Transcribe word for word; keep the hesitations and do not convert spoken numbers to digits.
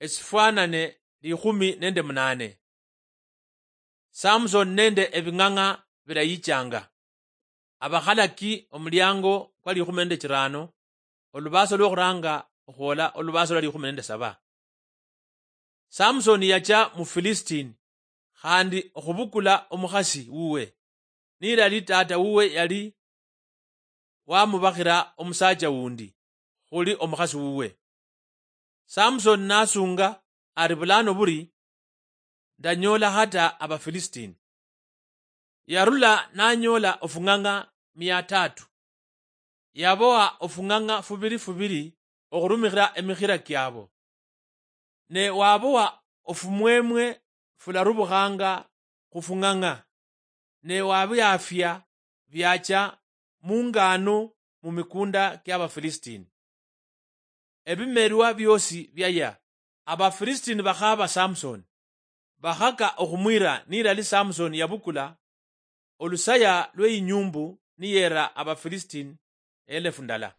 Esifwanane likhumi nende munane. Samson nende ebing'ang'a bilayichanga. Abakhalaki omuliango kwa likhumi nende chirano, olubaso lwokhuranga okhwola olubaso lwa likhumi nende saba. Samson yacha mu Philistine, khandi okhubukula omukhasi wuwe, nilali tata wuwe yali wamubakhira omusacha wundi khuli omukhasi wuwe. Samson nasunga ari, "Bulano buri ndanyoola hata Abafilisitini." Yarula nanyoola ofung'ang'a mia tatu. Yabowa ofung'ang'a fubiri fubiri okhurumikhira emikhira kiabo. Ne wabowa ofumwemwe fularubukhanga khufung'ang'a, ne wabiafia biacha mungano mumikunda kiabafilisitini. Ebimerwa biosi biaya. Abafilisitini bakhaba Samson, bakhaka okhumwira nilali Samson yabukula olusaya lweinyumbu niyera Abafilisitini elefu ndala.